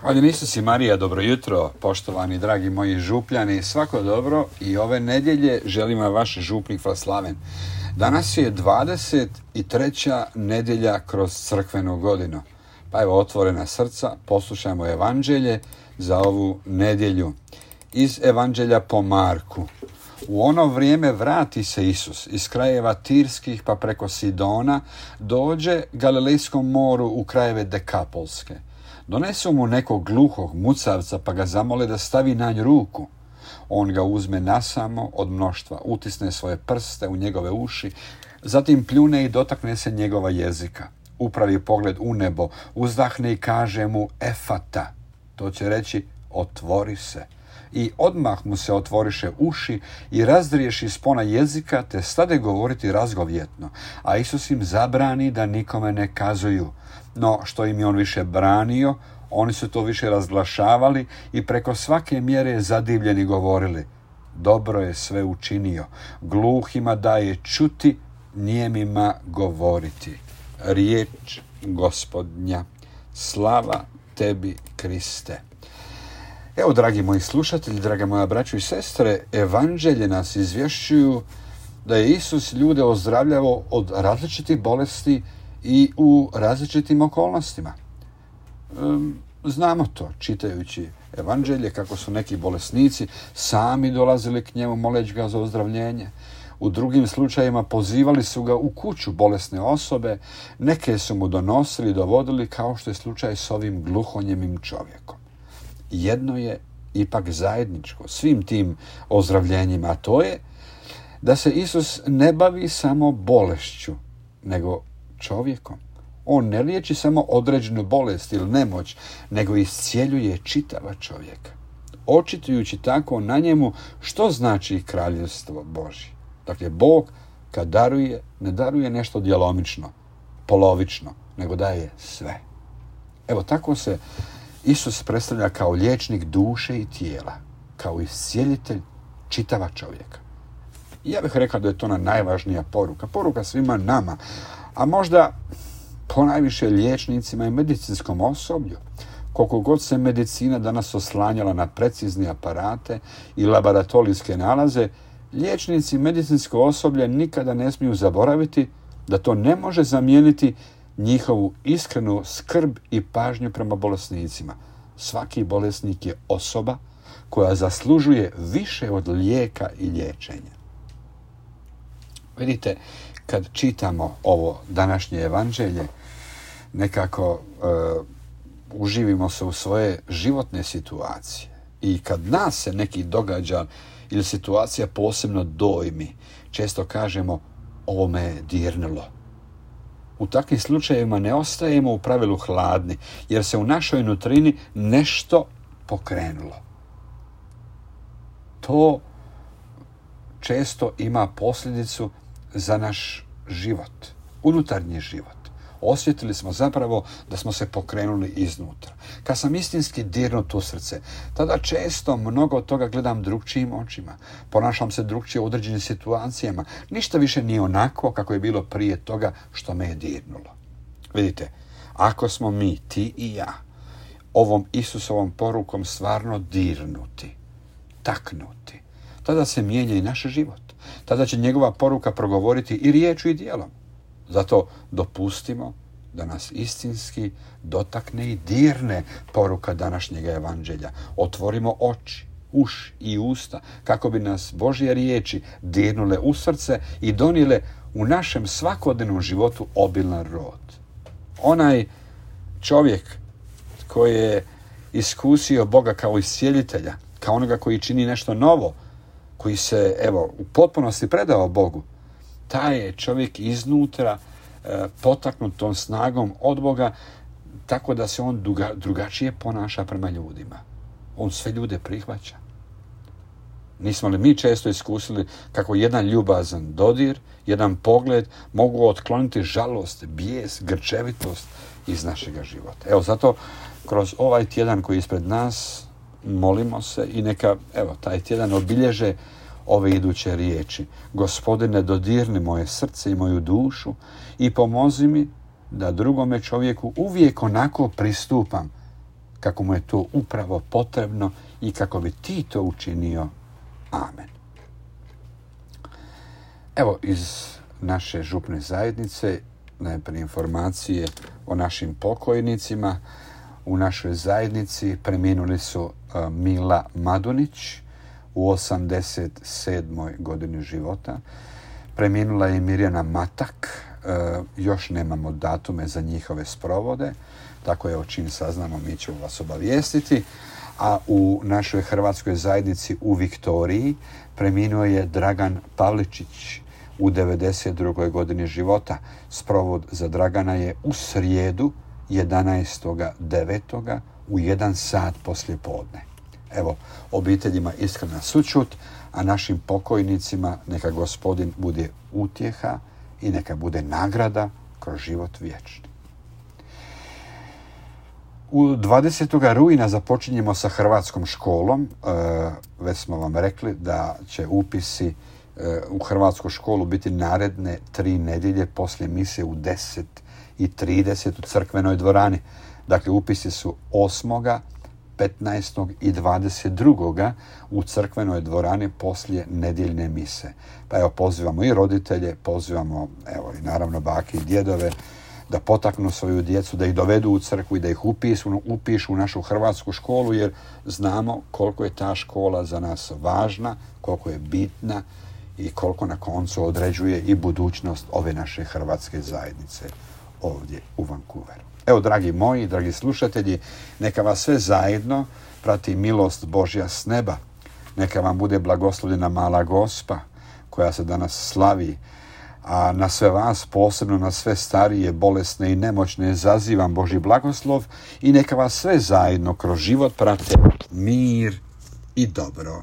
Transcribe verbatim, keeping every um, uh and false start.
Hvala Isus i Marija, dobro jutro, poštovani dragi moji župljani, svako dobro i ove nedjelje želim vam vaš župnik Vlaslaven. Danas je dvadeset treća nedjelja kroz crkvenu godinu. Pa evo, otvorena srca, poslušajmo evanđelje za ovu nedjelju. Iz evanđelja po Marku. U ono vrijeme vrati se Isus iz krajeva Tirskih pa preko Sidona, dođe Galilejskom moru u krajeve Dekapolske. Donesu mu nekog gluhog mucavca pa ga zamole da stavi na nj ruku. On ga uzme nasamo od mnoštva, utisne svoje prste u njegove uši, zatim pljune i dotakne se njegova jezika. Upravi pogled u nebo, uzdahne i kaže mu efata. To će reći otvori se. I odmah mu se otvoriše uši i razdriješi spona jezika, te stade govoriti razgovjetno. A Isus im zabrani da nikome ne kazuju. No, što im je on više branio, oni su to više razglašavali i preko svake mjere zadivljeni govorili: dobro je sve učinio, gluhima daje čuti, nijemima govoriti. Riječ Gospodnja. Slava tebi, Kriste. Evo, dragi moji slušatelji, draga moja braćo i sestre, evanđelje nas izvješćuju da je Isus ljude ozdravljavao od različitih bolesti i u različitim okolnostima. Znamo to, čitajući evanđelje, kako su neki bolesnici sami dolazili k njemu moleći ga za ozdravljenje. U drugim slučajevima pozivali su ga u kuću bolesne osobe, neke su mu donosili i dovodili, kao što je slučaj s ovim gluhonjemim čovjekom. Jedno je ipak zajedničko svim tim ozdravljenjima, a to je da se Isus ne bavi samo bolešću, nego čovjekom. On ne liječi samo određenu bolest ili nemoć, nego iscijeljuje čitava čovjeka, očitujući tako na njemu što znači kraljevstvo Božje. Dakle, Bog kad daruje, ne daruje nešto djelomično, polovično, nego daje sve. Evo, tako se Isus predstavlja kao liječnik duše i tijela, kao iscijelitelj čitava čovjeka. I ja bih rekao da je to ona najvažnija poruka, poruka svima nama, a možda ponajviše liječnicima i medicinskom osoblju. Koliko god se medicina danas oslanjala na precizne aparate i laboratorijske nalaze, liječnici i medicinsko osoblje nikada ne smiju zaboraviti da to ne može zamijeniti njihovu iskrenu skrb i pažnju prema bolesnicima. Svaki bolesnik je osoba koja zaslužuje više od lijeka i liječenja. Vidite, kad čitamo ovo današnje evanđelje, nekako uh, uživimo se u svoje životne situacije. I kad nas se neki događa ili situacija posebno dojmi, često kažemo: ovo me je dirnulo. U takvim slučajevima ne ostajemo u pravilu hladni, jer se u našoj nutrini nešto pokrenulo. To često ima posljedicu za naš život, unutarnji život. Osjetili smo zapravo da smo se pokrenuli iznutra. Kad sam istinski dirnut u srce, tada često mnogo toga gledam drugčijim očima. Ponašam se drugčije u određenim situacijama. Ništa više nije onako kako je bilo prije toga što me je dirnulo. Vidite, ako smo mi, ti i ja, ovom Isusovom porukom stvarno dirnuti, taknuti, tada se mijenja i naš život. Tada će njegova poruka progovoriti i riječu i djelom. Zato dopustimo da nas istinski dotakne i dirne poruka današnjega evanđelja. Otvorimo oči, uši i usta kako bi nas Božje riječi dirnule u srce i donijele u našem svakodnevnom životu obilan rod. Onaj čovjek koji je iskusio Boga kao iscijelitelja, kao onoga koji čini nešto novo, koji se, evo, u potpunosti predao Bogu, taj je čovjek iznutra e, potaknut tom snagom od Boga, tako da se on druga, drugačije ponaša prema ljudima. On sve ljude prihvaća. Nismo li mi često iskusili kako jedan ljubazan dodir, jedan pogled mogu otkloniti žalost, bijes, grčevitost iz našega života. Evo, zato kroz ovaj tjedan koji je ispred nas molimo se i neka, evo, taj tjedan obilježe ove iduće riječi: Gospodine, dodirni moje srce i moju dušu i pomozi mi da drugome čovjeku uvijek onako pristupam kako mu je to upravo potrebno i kako bi ti to učinio. Amen. Evo iz naše župne zajednice najprije informacije o našim pokojnicima. U našoj zajednici preminuli su uh, Mila Madunić u osamdeset sedmoj godini života. Preminula je Mirjana Matak. Uh, još nemamo datume za njihove sprovode, tako je, čim saznamo mi ćemo vas obavijestiti. A u našoj hrvatskoj zajednici u Viktoriji preminuo je Dragan Pavličić u devedeset drugoj godini života. Sprovod za Dragana je u srijedu jedanaestog devetog u jedan sat poslije podne. Evo, obiteljima iskrena sućut, a našim pokojnicima neka Gospodin bude utjeha i neka bude nagrada kroz život vječni. U dvadesetog rujna započinjemo sa hrvatskom školom. E, već smo vam rekli da će upisi e, u hrvatsku školu biti naredne tri nedjelje poslije mise u deset i trideset u crkvenoj dvorani. Dakle, upisi su osmoga petnaestog i dvadeset drugog u crkvenoj dvorani poslije nedjeljne mise. Pa evo, pozivamo i roditelje, pozivamo evo i naravno bake i djedove da potaknu svoju djecu, da ih dovedu u crkvu i da ih upišu, upišu u našu hrvatsku školu, jer znamo koliko je ta škola za nas važna, koliko je bitna i koliko na koncu određuje i budućnost ove naše hrvatske zajednice ovdje u Vancouveru. Evo, dragi moji, dragi slušatelji, neka vas sve zajedno prati milost Božja s neba. Neka vam bude blagoslovljena mala Gospa koja se danas slavi, a na sve vas, posebno na sve starije, bolesne i nemoćne, zazivam Božji blagoslov i neka vas sve zajedno kroz život prate mir i dobro.